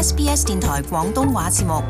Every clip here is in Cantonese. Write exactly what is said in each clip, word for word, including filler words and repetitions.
S B S 電台廣東話節目。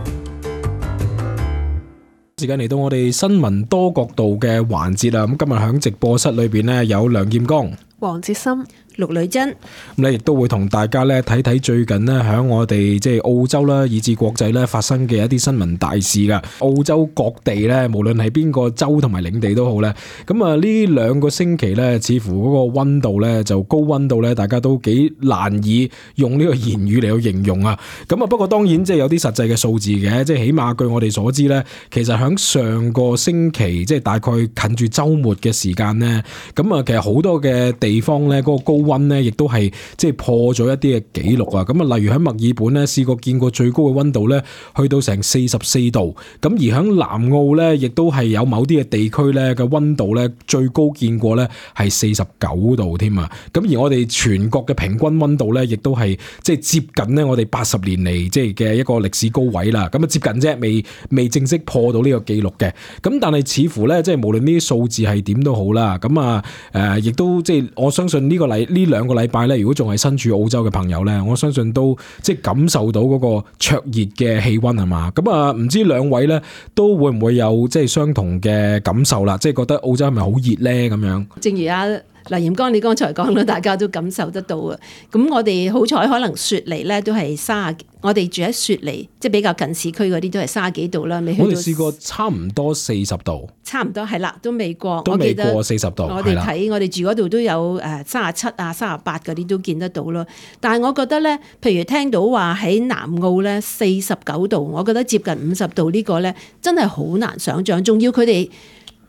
時間嚟到我哋新聞多角度嘅環節啦，咁今日喺直播室裏邊呢，有梁劍剛、黃哲森、陸女珍，咁咧亦都會同大家咧睇睇最近呢，喺我哋即係澳洲啦，以至國際咧發生嘅一啲新聞大事噶。澳洲各地咧，無論係邊個州同埋領地都好咧，咁啊呢兩個星期咧，似乎嗰個溫度咧就高溫度咧，大家都幾難以用呢個言語嚟去形容啊。咁啊，不過當然即係有啲實際嘅數字嘅，即係起碼據我哋所知咧，其實喺上個星期即係大概近住週末嘅時間咧，咁啊其實好多嘅地方咧嗰個高溫咧，亦都係即係破咗一啲嘅紀錄啊！咁啊，例如喺墨爾本咧，試過見過最高嘅溫度咧，去到成四十四度。咁而喺南澳咧，亦都係有某啲嘅地區咧嘅溫度咧，最高見過咧係四十九度添啊！咁而我哋全國嘅平均溫度咧，亦都係即係接近咧我哋八十年嚟即係嘅一個歷史高位啦。咁啊接近啫，未未正式破到呢個紀錄嘅。咁但係似乎咧，即係無論呢啲數字係點都好啦。咁啊誒，亦都即係我相信呢個禮呢兩個禮拜咧，如果仲係身處澳洲嘅朋友咧，我相信都即係感受到嗰個灼熱嘅氣溫係嘛。咁啊，唔知兩位咧都會唔會有即係相同嘅感受啦？即係覺得澳洲係咪好熱咧咁樣？正如阿梁劍剛你剛才講啦，大家都感受得到啊。咁我哋好彩，可能雪梨咧都係卅，我哋住喺雪梨，即係比較近市區嗰啲都係卅幾度啦。未去到我哋試過差唔多四十度，差唔多係啦，都未過，都未過四十度。我哋睇我哋住嗰度都有誒卅七啊、卅八嗰啲都見得到咯。但係我覺得咧，譬如聽到話喺南澳咧四十九度，我覺得接近五十度呢個咧真係好難想像。仲要佢哋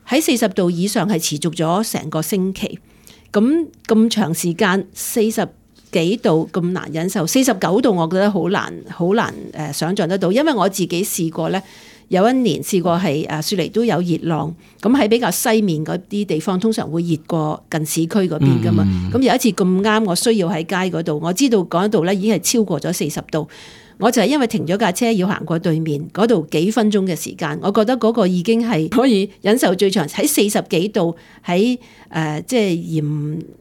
喺四十度以上係持續咗成個星期。咁咁長時間四十幾度咁難忍受，四十九度我覺得好難好難誒想像得到，因為我自己試過咧，有一年試過係誒雪梨都有熱浪，咁喺比較西面嗰啲地方通常會熱過近市區嗰邊噶嘛，咁、嗯、有一次咁啱我需要喺街嗰度，我知道嗰度咧已經係超過咗四十度。我就係因為停咗架車要行過對面嗰度幾分鐘嘅時間，我覺得嗰個已經係可以忍受最長喺四十幾度喺誒即係炎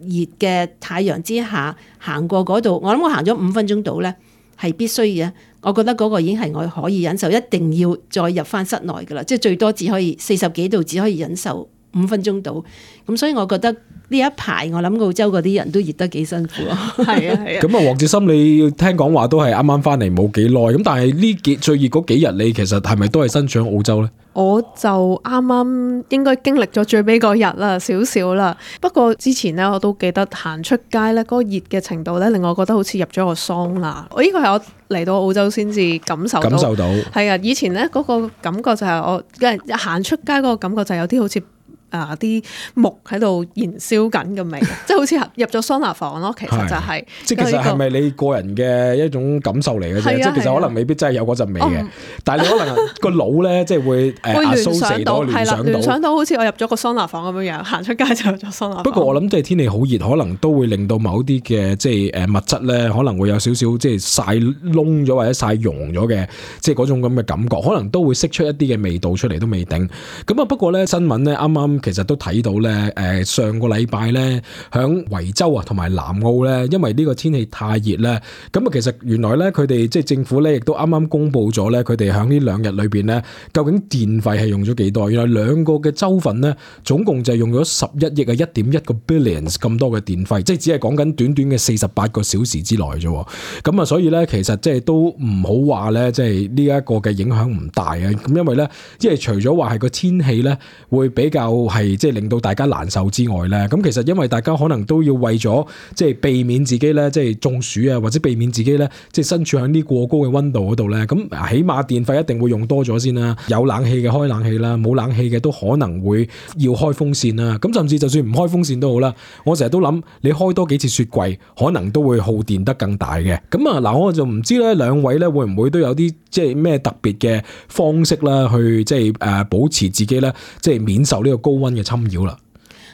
熱嘅太陽之下行過嗰度，我諗我行咗五分鐘度咧係必須嘅。我覺得嗰個已經係我可以忍受，一定要再入翻室內噶啦，即係最多只可以四十幾度只可以忍受五分鐘度。咁所以我覺得呢一排我諗澳洲嗰啲人都熱得幾辛苦啊。係啊係啊。咁啊，黃哲森你聽講話都係啱啱翻嚟冇幾耐，咁但係呢幾最熱嗰幾日你其實係咪都係身處澳洲咧？我就啱啱應該經歷咗最尾嗰日啦，少少啦。不過之前咧我都記得行出街咧，嗰個熱嘅程度咧令我覺得好似入咗個桑拿。我呢個係我嚟到澳洲先至感受到。感受到。係啊，以前咧嗰個感覺就係我行出街嗰個感覺就係有啲好似啊啲木喺度燃燒緊嘅味，即係好似入咗桑拿房咯。其實就係、是，即係其實係咪你個人嘅一種感受嚟嘅啫？即係其實可能未必真係有嗰陣味嘅，但係你可能個腦咧即係會誒會聯想到，係啦，聯想到好似我入咗個桑拿房咁樣樣，行出街就入咗桑拿房。不過我諗即係天氣好熱，可能都會令到某啲嘅即係誒物質咧，可能會有少少即係曬燶咗或者曬溶咗嘅，即係嗰種咁嘅感覺，可能都會釋出一啲嘅味道出嚟都未定。咁啊，不過咧新聞咧啱啱。其實都睇到咧，誒上個禮拜咧，響維州啊同埋南澳咧，因為呢個天氣太熱咧，咁啊其實原來咧佢哋即係政府咧，亦都啱啱公布咗咧，佢哋響呢兩日裏邊咧，究竟電費係用咗幾多？原來兩個嘅州份咧，總共就係用咗十一億啊，一點一個 billions 咁多嘅電費，即係只係講緊短短嘅四十八個小時之內啫。咁啊，所以咧其實即係都唔好話咧，即係呢一個嘅影響唔大啊。咁因為咧，即係除咗話係個天氣咧會比較係即係令到大家難受之外咧，咁其實因為大家可能都要為咗即係避免自己咧即係中暑啊，或者避免自己咧即係身處喺呢過高嘅溫度嗰度咧，咁起碼電費一定會用多咗先啦。有冷氣嘅開冷氣啦，冇冷氣嘅都可能會要開風扇啦。咁甚至就算唔開風扇都好啦，我成日都諗你開多幾次雪櫃，可能都會耗電得更大嘅。咁啊嗱，我就唔知咧兩位咧會唔會都有啲即係咩特別嘅方式啦，去即係誒保持自己咧即係免受呢個高溫嘅侵擾啦。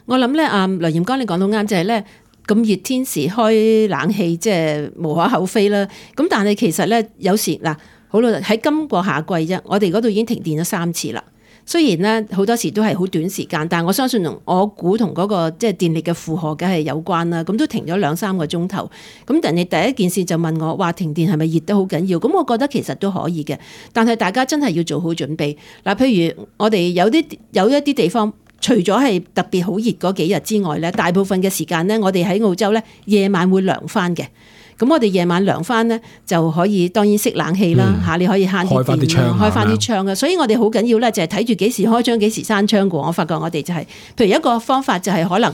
我諗咧，啊梁劍剛你講到啱，就係咧咁熱天時開冷氣，即係無可厚非啦。咁但係其實咧，有時嗱，好啦，喺今個夏季啫，我哋嗰度已經停電咗三次啦。雖然咧好多時都係好短時間，但係我相信同我估同嗰個即係電力嘅負荷梗係有關啦。咁都停咗兩三個鐘頭，咁但係第一件事就問我話停電係咪熱得好緊要？咁我覺得其實都可以嘅，但係大家真係要做好準備。嗱，譬如我哋有啲有一啲地方，除咗係特別好熱嗰幾日之外咧，大部分嘅時間咧，我哋喺澳洲咧夜晚會涼翻嘅。咁我哋夜晚涼翻咧，就可以當然熄冷氣啦嚇，嗯、你可以慳啲電，開翻啲窗，開翻啲窗嘅。所以我哋好緊要咧，就係睇住幾時開窗，幾時閂窗嘅。我發覺我哋就係、是，譬如一個方法就係可能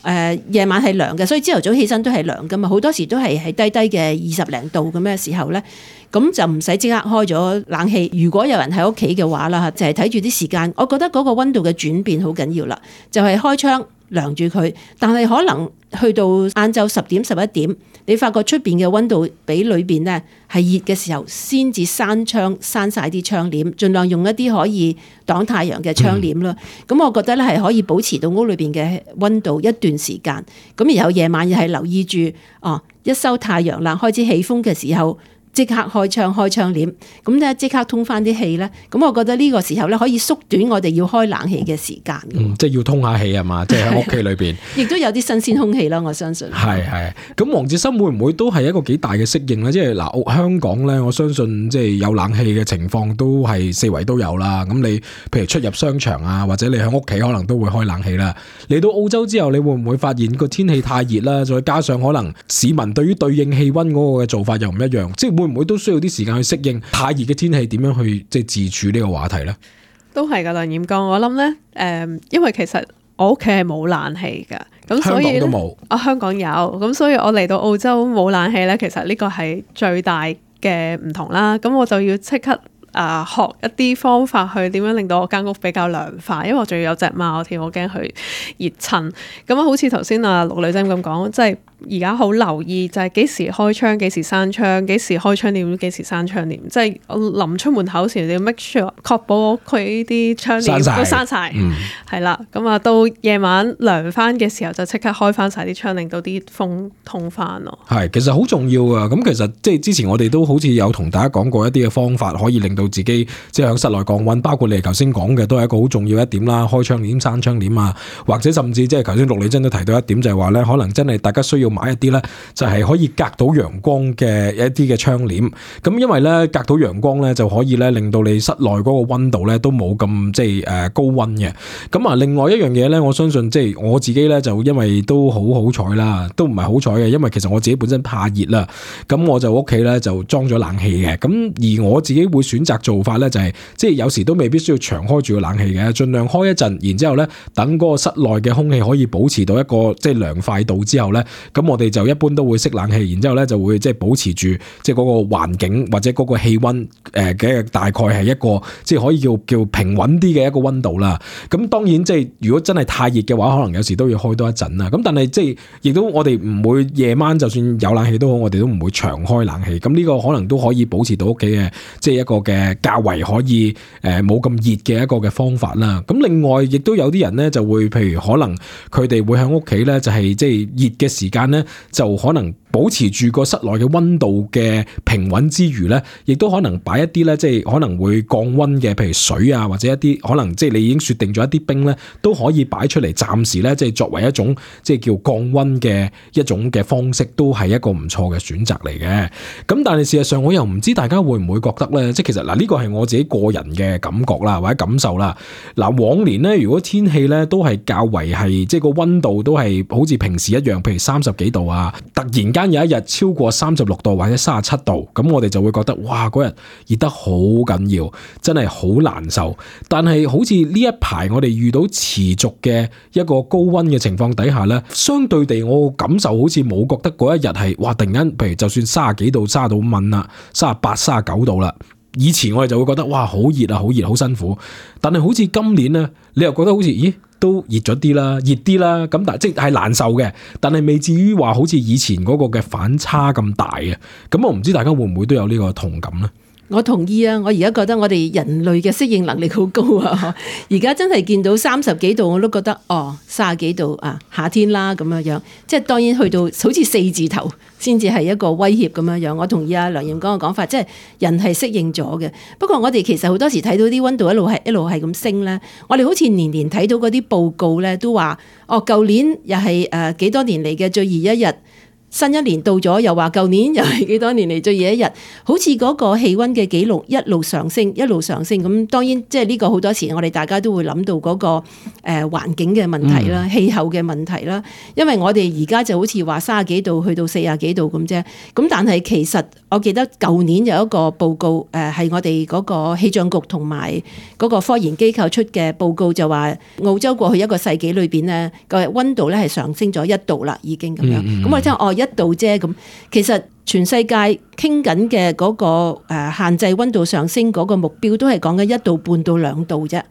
誒夜、呃、晚係涼嘅，所以朝頭早起身都係涼噶嘛。好多時都係喺低低嘅二十零度咁嘅時候咧，咁就唔使即刻開咗冷氣。如果有人喺屋企嘅話啦，就係睇住啲時間。我覺得嗰個溫度嘅轉變好緊要啦，就係、是、開窗涼住佢，但係可能去到晏晝十點十一點，你發覺出邊嘅溫度比裏邊咧係熱嘅時候，先至閂窗閂晒啲窗簾，盡量用一啲可以擋太陽嘅窗簾啦。咁、嗯、我覺得咧係可以保持到屋裏邊嘅溫度一段時間。咁然後夜晚又係留意住，哦，一收太陽啦，開始起風嘅時候，即刻開窗開窗簾，咁咧即刻通翻啲氣咧，咁我覺得呢個時候咧可以縮短我哋要開冷氣嘅時間。嗯，即係要通下氣啊嘛，即係喺屋企裏邊，亦都有啲新鮮空氣啦，我相信。係係，咁黃志森會唔會都係一個幾大嘅適應咧？即係嗱，香港咧，我相信即係有冷氣嘅情況都係四圍都有啦。咁你譬如出入商場啊，或者你喺屋企可能都會開冷氣啦。嚟到澳洲之後，你會唔會發現個天氣太熱啦？再加上可能市民對於對應氣溫嗰個嘅做法又唔一樣，即係會唔會都需要啲時間去適應太熱嘅天氣，點樣去即係自處呢個話題咧？都係噶，梁彥剛，我諗咧，誒，因為其實我屋企係冇冷氣噶，咁所以香港都冇。啊，香港有，咁所以我嚟到澳洲冇冷氣咧，其實呢個係最大嘅唔同啦。咁我就要即刻啊、呃、學一啲方法去點樣令到我間屋比較涼快，因為我仲要有隻貓添，我驚佢熱親。咁啊，好似頭先啊陸女仔咁講，即係。而家好留意就係幾時開窗，幾時閂窗，幾時開窗簾，幾時閂窗簾。即係我臨出門口時，你要 make sure 確保佢啲窗簾都閂晒。係啦。咁啊，到夜晚涼翻嘅時候，就即刻開翻晒啲窗，令到啲風通翻咯。係，其實好重要啊。咁其實即係之前我哋都好似有同大家講過一啲嘅方法，可以令到自己即係喺室內降溫。包括你頭先講嘅，都係一個好重要一點啦。開窗簾、閂窗簾啊，或者甚至即係頭先陸女真都提到一點，就係話咧，可能真係大家需要買一啲咧，就係可以隔到陽光嘅一啲嘅窗簾。咁因為咧隔到陽光咧，就可以咧令到你室內嗰個溫度咧都冇咁即係誒高溫嘅。咁啊，另外一樣嘢咧，我相信即係我自己咧就因為都好好彩啦，都唔係好彩嘅，因為其實我自己本身怕熱啦。咁我就屋企咧就裝咗冷氣嘅。咁而我自己會選擇做法咧，就係即係有時都未必需要長開住個冷氣嘅，盡量開一陣，然之後咧等嗰個室內嘅空氣可以保持到一個即係涼快度之後咧，咁我哋就一般都會熄冷氣，然之後咧就會即係保持住即係嗰個環境或者嗰個氣溫誒嘅大概係一個即係可以叫叫平穩啲嘅一個溫度啦。咁當然即係如果真係太熱嘅話，可能有時都要開多一陣啦。咁但係即係亦都我哋唔會夜晚就算有冷氣都好，我哋都唔會長開冷氣。咁呢個可能都可以保持到屋企嘅即係一個嘅較為可以誒冇咁熱嘅一個嘅方法啦。咁另外亦都有啲人咧就會譬如可能佢哋會喺屋企咧就係即係熱嘅時間咧就可能保持住個室內嘅溫度嘅平穩之餘咧，亦都可能擺一啲咧，即係可能會降溫嘅，譬如水啊，或者一啲可能即係你已經雪定咗一啲冰咧，都可以擺出嚟，暫時咧即係作為一種即係叫降溫嘅一種嘅方式，都係一個唔錯嘅選擇嚟嘅。咁但係事實上，我又唔知大家會唔會覺得咧，即係其實嗱呢個係我自己個人嘅感覺啦，或者感受啦。嗱往年咧，如果天氣咧都係較為係即係個溫度都係好似平時一樣，譬如三十幾度啊，突然間有一日超過三十六度或者三十七度，咁我哋就會覺得哇，嗰日熱得好緊要，真係好難受。但係好似呢一排我哋遇到持續嘅一個高溫嘅情況底下咧，相對地我感受好似冇覺得嗰一日係哇突然間，譬如就算三十幾度、三十到蚊啦、三十八、三十九度啦。以前我哋就會覺得哇好熱啊，好熱，好辛苦。但係好似今年咧，你又覺得好似咦都熱咗啲啦，熱啲啦。咁但係即係難受嘅，但係未至於話好似以前嗰個嘅反差咁大嘅。咁我唔知大家會唔會都有呢個同感咧？我同意啊！我而家覺得我哋人類嘅適應能力好高啊！而家真係見到三十幾度我都覺得哦，三十幾度啊，夏天啦咁樣樣。即係當然去到好似四字頭先至係一個威脅咁樣樣。我同意啊梁焱剛嘅講法，即係人係適應咗嘅。不過我哋其實好多時睇到啲溫度一路係一路係咁升咧，我哋好似年年睇到嗰啲報告咧都話哦，舊年又係誒幾多年嚟嘅最熱一日。新一年到咗，又話舊年又係幾多年嚟最熱一日，好似嗰個氣温嘅記錄一路上升，一路上升。咁當然即係呢個好多時，我哋大家都會諗到嗰個誒環境嘅問題啦、氣候嘅問題啦。因為我哋而家就好似話三十幾度去到四十幾度咁啫。咁但係其實我記得舊年有一個報告，誒係我哋嗰個氣象局同埋嗰個科研機構出嘅報告，就話澳洲過去一個世紀裏邊呢個温度咧係上升咗一度啦，已經咁樣。咁、嗯嗯、我聽哦。一度啫咁，其實全世界傾緊嘅嗰個誒限制溫度上升嗰個目標都係講緊一度半到兩度啫。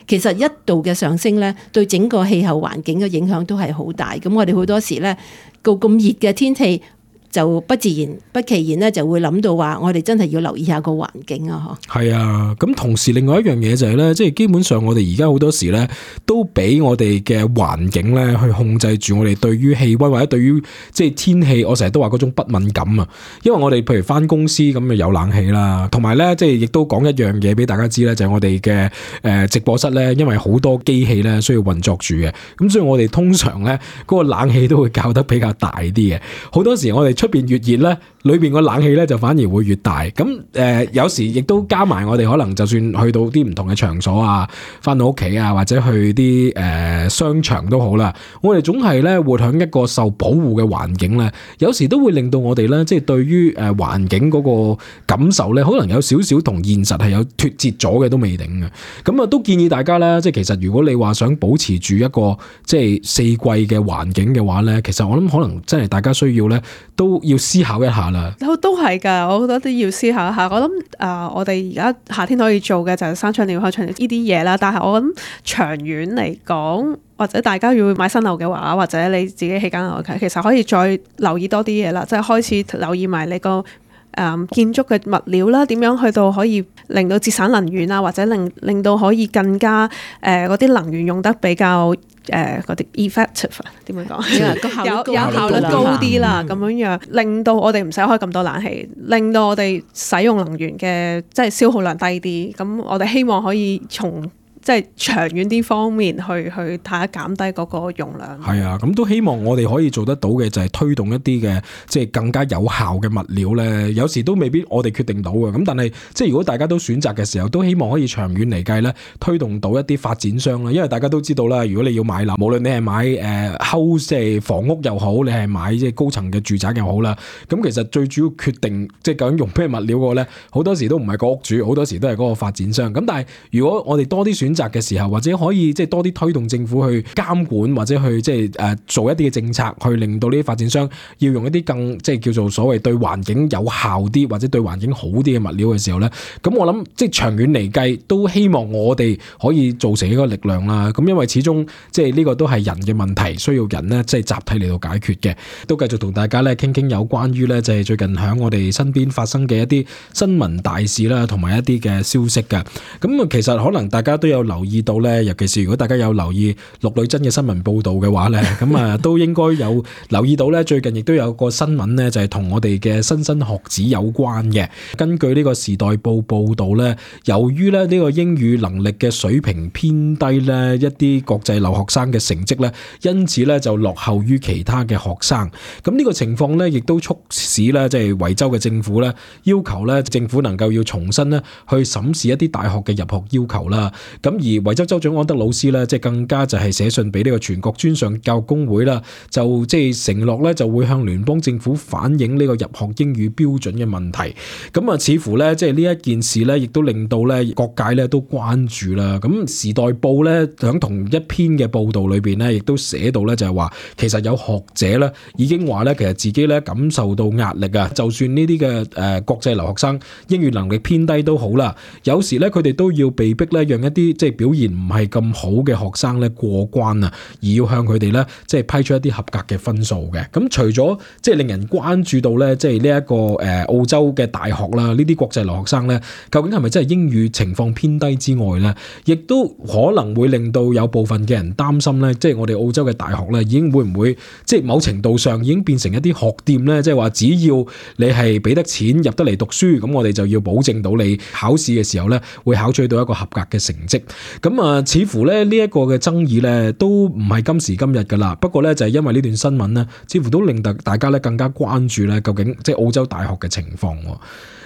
其實一度嘅上升咧，對整個氣候環境嘅影響都係好大。咁我哋好多時咧，個咁熱嘅天氣，就不自然不其然咧，就會諗到話，我哋真係要留意下個環境啊！嗬，係啊，咁同時另外一樣嘢就係咧，即係基本上我哋而家好多時咧，都俾我哋嘅環境咧去控制住我哋對於氣溫或者對於即係天氣，我成日都話嗰種不敏感啊。因為我哋譬如返公司咁啊有冷氣啦，同埋咧即係亦都講一樣嘢俾大家知咧，就係我哋嘅誒直播室咧，因為好多機器咧需要運作住嘅，咁所以我哋通常咧嗰個冷氣都會校得比較大啲嘅。好多時我哋出邊越熱咧，裏邊個冷氣咧就反而會越大。咁誒、呃，有時亦都加埋我哋可能就算去到啲唔同嘅場所啊，翻到屋企啊，或者去啲誒、呃、商場都好啦，我哋總係咧活喺一個受保護嘅環境咧，有時都會令到我哋咧即係對於誒環境嗰個感受咧，可能有少少同現實係有脫節咗嘅都未定嘅。咁啊，都建議大家咧，即係其實如果你話想保持住一個即係四季嘅環境嘅話咧，其實我諗可能真係大家需要咧都要思考一下啦。都係㗎，我覺得都要思考一下。我諗誒、呃，我哋而家夏天可以做嘅就係閂窗簾、開窗簾呢啲嘢啦。但係我諗長遠嚟講，或者大家要買新樓嘅話，或者你自己起間樓嘅，其實可以再留意多啲嘢啦。即係開始留意埋你個誒、呃、建築嘅物料啦，點樣去到可以令到節省能源啊，或者令令到可以更加誒嗰啲能源用得比較。誒嗰啲 effective 點樣講？有有效率高啲啦，咁樣樣令到我哋唔使開咁多冷氣，令到我哋使用能源嘅即係消耗量低啲。咁我哋希望可以從即係長遠啲方面去去睇下減低嗰個用量。係啊，咁都希望我哋可以做得到嘅就係推動一啲嘅即係更加有效嘅物料咧。有時都未必我哋決定到嘅，咁但係即係如果大家都選擇嘅時候，都希望可以長遠嚟計咧，推動到一啲發展商啦。因為大家都知道啦，如果你要買樓，無論你係買誒 house 即係房屋又好，你係買即係高層嘅住宅又好啦，咁其實最主要決定即係究竟用咩物料個咧，好多時都唔係個屋主，好多時都係嗰個發展商。咁但係如果我哋多啲選擇嘅時候，或者可以即係多啲推動政府去監管，或者去即係誒做一啲嘅政策，去令到呢啲發展商要用一啲更即係叫做所謂對環境有效啲，或者對環境好啲嘅物料嘅時候咧，咁我諗即係長遠嚟計，都希望我哋可以造成一個力量啦。咁因為始終即係呢個都係人嘅問題，需要人咧即係集體嚟到解決嘅。都繼續同大家咧傾傾有關於咧就係最近喺我哋身邊發生嘅一啲新聞大事啦，同埋一啲嘅消息嘅。咁啊，其實可能大家都有留意到咧，尤其是如果大家有留意陸女真嘅新聞報導嘅話咧，咁啊都應該有留意到咧，最近亦都有個新聞咧，就係同我哋嘅莘莘學子有關嘅。根據呢個時代報報導咧，由於咧呢個英語能力嘅水平偏低咧，一啲國際留學生嘅成績咧，因此咧就落後於其他嘅學生。咁呢個情況咧，亦都促使咧即係維州嘅政府咧，要求咧政府能夠要重新咧去審視一啲大學嘅入學要求啦。咁而維州州長安德魯斯咧，即係更加就係寫信俾呢個全國專上教育工會啦，就即係承諾咧就會向聯邦政府反映呢個入學英語標準嘅問題。咁啊，似乎咧即係呢一件事咧，亦都令到咧各界咧都關注啦。咁時代報咧響同一篇嘅報道裏邊咧，亦都寫到咧就係話，其實有學者咧已經話咧，其實自己咧感受到壓力啊。就算呢啲嘅誒國際留學生英語能力偏低都好啦，有時咧佢哋都要被逼咧讓一啲即即係表現唔係咁好嘅學生咧過關啊，而要向佢哋咧即係批出一啲合格嘅分數嘅。咁除咗即係令人關注到咧，即係呢一個誒澳洲嘅大學啦，呢啲國際留學生咧，究竟係咪真係英語情況偏低之外咧，亦都可能會令到有部分嘅人擔心咧，即係我哋澳洲嘅大學咧，已經會唔會即係某程度上已經變成一啲學店咧？即係話只要你係俾得錢入得嚟讀書，咁我哋就要保證到你考試嘅時候咧，會考取到一個合格嘅成績。咁啊，似乎咧呢一個嘅爭議咧，都唔係今時今日噶啦。不過咧就係因為呢段新聞咧，似乎都令大大家咧更加關注咧，究竟即係澳洲大學嘅情況。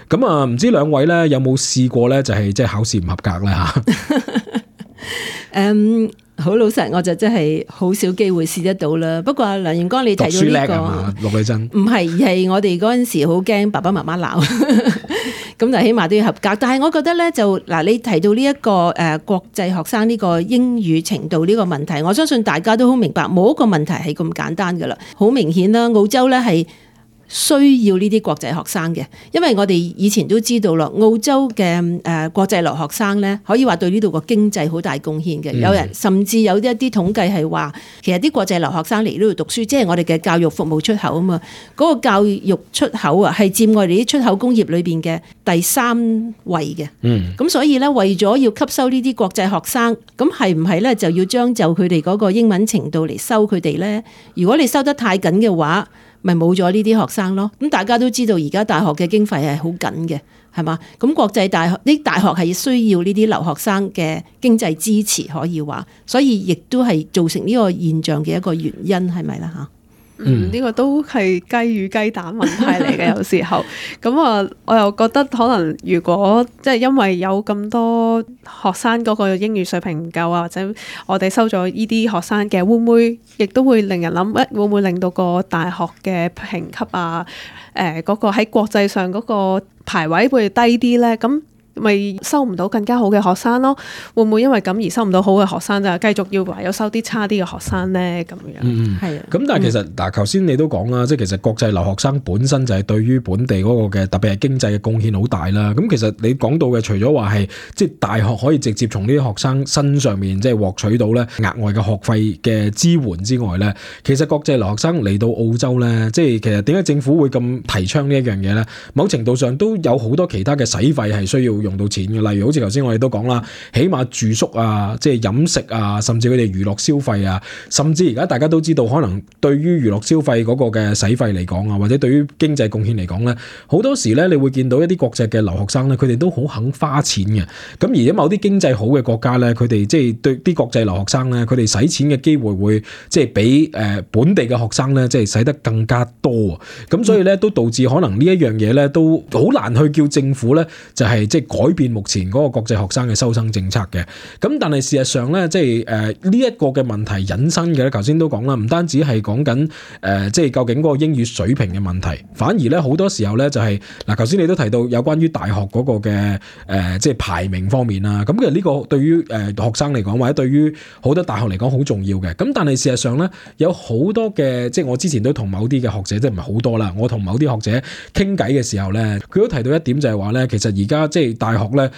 咁啊，唔知兩位咧有冇試過咧，就係即係考試唔合格咧吓？誒，好老實，我就真係好少機會試得到啦。不過梁元光你提到呢、這個，陸女真唔係，而係我哋嗰陣時好驚爸爸媽媽鬧，咁就起碼都要合格。但係我覺得咧，就嗱，你提到呢、這、一個誒、呃、國際學生呢個英語程度呢個問題，我相信大家都好明白，冇一個問題係咁簡單噶啦。好明顯啦，澳洲咧係需要呢啲國際學生嘅，因為我哋以前都知道啦，澳洲嘅誒、呃、國際留學生咧，可以話對呢度個經濟好大貢獻嘅。嗯、有人甚至有一啲統計係話，其實啲國際留學生嚟呢度讀書，即係我哋嘅教育服務出口啊嘛。嗰、那個教育出口啊，係佔我哋啲出口工業裏邊嘅第三位嘅。嗯，咁所以咧，為咗要吸收呢啲國際學生，咁係唔係咧就要將就佢哋嗰個英文程度嚟收佢哋咧？如果你收得太緊嘅話，咪冇咗呢啲學生咯。咁大家都知道而家大學嘅經費係好緊嘅，係嘛？咁國際大學啲大學係需要呢啲留學生嘅經濟支持，可以話，所以亦都係造成呢個現象嘅一個原因，係咪啦吓？嗯，呢個都係雞與雞蛋問題嚟嘅，有時候咁啊，我又覺得可能如果即係因為有咁多學生嗰個英語水平唔夠啊，或者我哋收咗呢啲學生嘅，會唔會亦都會令人諗，誒會唔會令到個大學嘅評級啊，誒嗰個喺國際上嗰個排位會低啲咧？咁咪收唔到更加好嘅學生咯？會唔會因為咁而收唔到好嘅學生就繼續要唯有收啲差啲嘅學生咧？咁樣嗯係啊。咁但係其實嗱，頭先你都講啦，即係其實國際留學生本身就係對於本地嗰個嘅特別係經濟嘅貢獻好大啦。咁其實你講到嘅除咗話係即係大學可以直接從呢啲學生身上面即係獲取到咧額外嘅學費嘅支援之外咧，其實國際留學生嚟到澳洲咧，即係其實點解政府會咁提倡呢一樣嘢咧？某程度上都有好多其他嘅使費係需要用到錢嘅，例如好似頭先我哋都講啦，起碼住宿啊，即係飲食啊，甚至佢哋娛樂消費啊，甚至而家大家都知道，可能對於娛樂消費嗰個嘅使費嚟講啊，或者對於經濟貢獻嚟講咧，好多時咧，你會見到一啲國際嘅留學生咧，佢哋都好肯花錢嘅。咁而家某啲經濟好嘅國家咧，佢哋即係對啲國際留學生咧，佢哋使錢嘅機會會即係比誒本地嘅學生咧，即係使得更加多。咁所以咧，都導致可能呢一樣嘢咧，都好難去叫政府咧，就係即係改變目前嗰個國際學生嘅收生政策嘅。咁但係事實上咧，即係誒呢一個嘅問題引申嘅咧，頭先都講啦，唔單止係講緊誒即係究竟嗰個英語水平嘅問題，反而咧好多時候咧就係嗱，頭先你都提到有關於大學嗰個嘅誒即係排名方面啦。咁其實呢個對於誒學生嚟講，或者對於好多大學嚟講好重要嘅。咁但係事實上咧，有好多嘅即係我之前都同某啲嘅學者，即係唔係好多啦，我同某啲學者傾偈嘅時候咧，佢都提到一點就係話咧，其實而家即係大學咧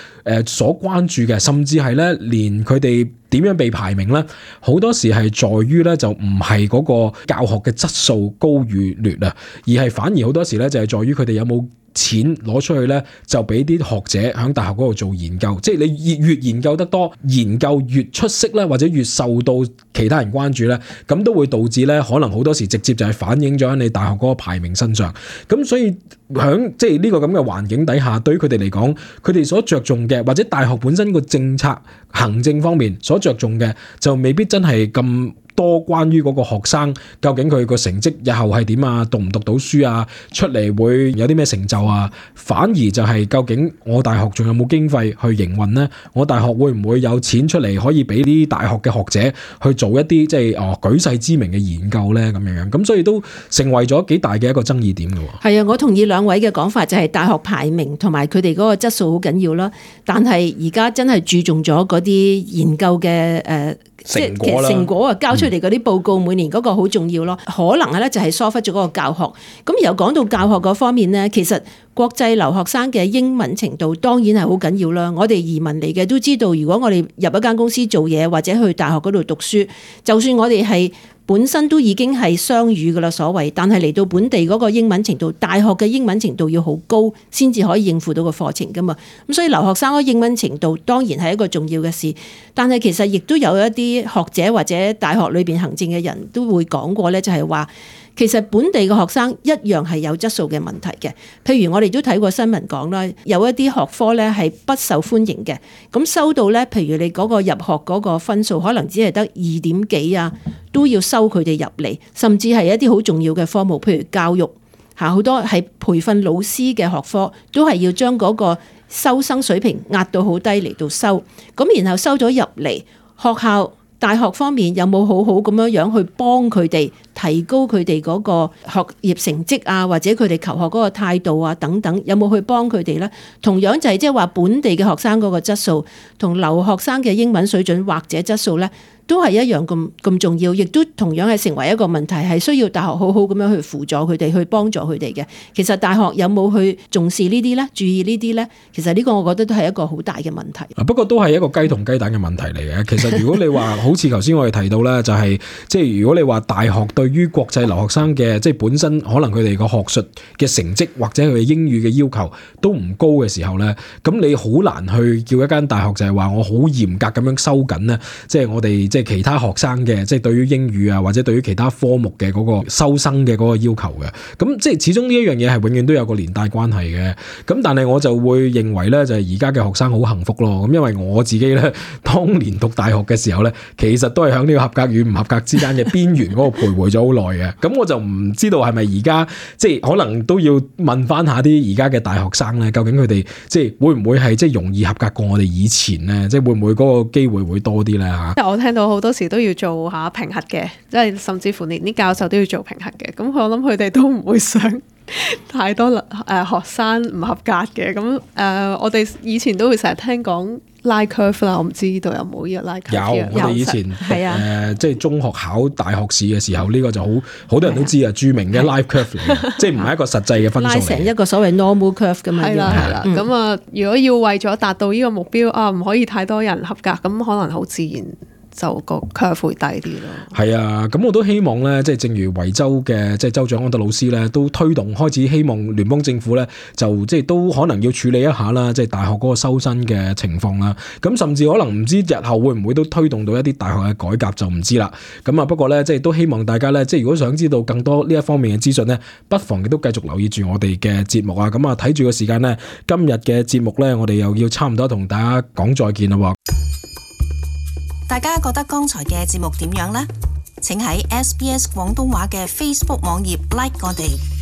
誒所關注嘅，甚至係咧連佢哋點樣被排名咧，好多時係在於咧就唔係嗰個教學嘅質素高與劣啊，而係反而好多時咧就係在於佢哋有冇錢攞出去咧，就俾啲學者喺大學嗰度做研究。即係你越越研究得多，研究越出色咧，或者越受到其他人關注咧，咁都會導致咧可能好多時直接就係反映咗喺你大學嗰個排名身上。咁所以喺即係呢個咁嘅環境底下，對於佢哋嚟講，佢哋所着重嘅，或者大學本身個政策行政方面所着重嘅，就未必真係咁多關於嗰個學生究竟佢個成績日後係點啊，讀唔讀到書啊，出嚟會有啲咩成就啊，反而就係究竟我大學仲有冇經費去營運呢？我大學會唔會有錢出嚟可以俾啲大學嘅學者去做一啲即係哦舉世知名嘅研究呢？咁樣樣咁，所以都成為咗幾大嘅一個爭議點嘅。係啊，我同意兩位嘅講法，就係大學排名同埋佢哋嗰個質素好緊要啦。但係而家真係注重咗嗰啲研究嘅誒成果啦，成果啊交出嚟嗰啲報告，每年嗰個好重要咯。可能咧就係疏忽咗嗰個教學。咁又講到教學嗰方面咧，其實國際留學生嘅英文程度當然係好緊要啦。我哋移民嚟嘅都知道，如果我哋入一間公司做嘢或者去大學嗰度讀書，就算我哋係本身都已經係雙語噶啦，所謂，但係嚟到本地嗰個英文程度，大學嘅英文程度要好高，先至可以應付到個課程噶嘛。咁所以留學生嗰英文程度當然係一個重要嘅事，但係其實亦都有一啲學者或者大學裏邊行政嘅人都會講過咧，就係話，其實本地嘅學生一樣係有質素嘅問題嘅。譬如我哋都睇過新聞講啦，有一啲學科咧係不受歡迎嘅，咁收到咧，譬如你嗰個入學嗰個分數可能只係得二點幾啊，都要收佢哋入嚟，甚至係一啲好重要嘅科目，譬如教育嚇，好多係培訓老師嘅學科，都係要將嗰個收生水平壓到好低嚟到收，咁然後收咗入嚟，學校大學方面有冇好好咁樣樣去幫佢哋提高佢哋嗰個學業成績啊，或者佢哋求學嗰個態度啊等等，有冇去幫佢哋呢？同樣就係即係話本地嘅學生嗰個質素同留學生嘅英文水準或者質素呢，都係一樣咁咁重要，亦都同樣係成為一個問題，係需要大學好好咁樣去輔助佢哋，去幫助佢哋嘅。其實大學有冇去重視呢啲呢？注意呢啲呢？其實呢個我覺得都係一個好大嘅問題。不過都係一個雞同雞蛋嘅問題嚟嘅。其實如果你話好似頭先我哋提到咧，就係即係如果你話大學對於國際留學生嘅即係本身可能佢哋個學術嘅成績或者佢哋英語嘅要求都唔高嘅時候咧，咁你好難去叫一間大學就係話我好嚴格咁樣收緊咧，即係我哋即係其他學生嘅即係對於英語啊或者對於其他科目嘅嗰個收生嘅嗰個要求嘅。咁即係始終呢一樣嘢係永遠都有個連帶關係嘅。咁但係我就會認為咧，就係而家嘅學生好幸福咯。咁因為我自己咧當年讀大學嘅時候咧，其實都係喺呢個合格與唔合格之間嘅邊緣嗰個徘徊咗好耐嘅。咁我就唔知道係咪而家即係可能都要問翻下啲而家嘅大學生咧，究竟佢哋即係會唔會係即係容易合格過我哋以前咧？即係會唔會嗰個機會會多啲咧嚇？我聽到好多時都要做下評核嘅，即係甚至乎連啲教授都要做評核嘅。咁我諗佢哋都唔會想太多誒、呃、學生唔合格嘅。咁誒、呃，我哋以前都會成日聽講拉 curve 啦，我唔知呢度有冇呢個拉 curve。有，我哋以前係啊，誒即係中學考大學試嘅時候，呢、這個就好好多人都知啊，著名嘅 live curve 嚟嘅，即係唔係一個實際嘅分數嚟。拉成一個所謂 normal curve 咁樣。係啦係啦，咁啊、嗯，如果要為咗達到呢個目標啊，唔可以太多人合格，咁可能好自然就個 curve 會低啲咯。係啊，咁我都希望咧，即係正如維州嘅即係州長安德魯斯咧，都推動開始希望聯邦政府咧，就即係都可能要處理一下啦，即係大學嗰個收生嘅情況啦。咁甚至可能唔知日後會唔會都推動到一啲大學嘅改革就唔知啦。咁啊，不過咧，即係都希望大家咧，即係如果想知道更多呢一方面嘅資訊咧，不妨亦都繼續留意住我哋嘅節目啊。咁啊，睇住個時間咧，今日嘅節目咧，我哋又要差唔多同大家講再見啦。大家覺得剛才嘅節目點樣呢？請喺 S B S 廣東話嘅 Facebook 網頁 like 我哋。